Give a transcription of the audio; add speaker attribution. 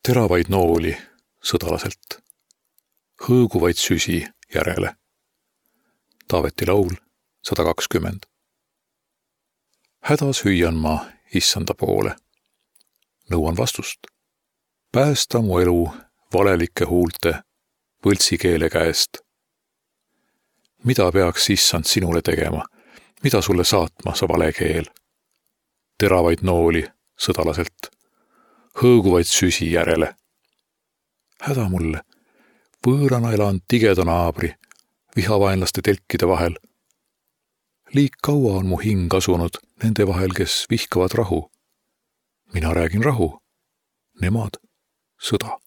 Speaker 1: Teravaid nooli sõdalaselt, hõõguvaid süsi järele. Taaveti laul 120. Hädas hüüan ma issanda poole. Nõuan vastust. Päästa mu elu valelike huulte võltsi keele käest. Mida peaks issand sinule tegema? Mida sulle saatma sa vale keel? Teravaid nooli sõdalaselt, hõõguvaid süsi järele. Häda mulle, võõrana elan tigeda naabri, vihavaenlaste telkide vahel. Liik kaua on mu hing asunud nende vahel, kes vihkavad rahu. Mina räägin rahu, nemad sõda.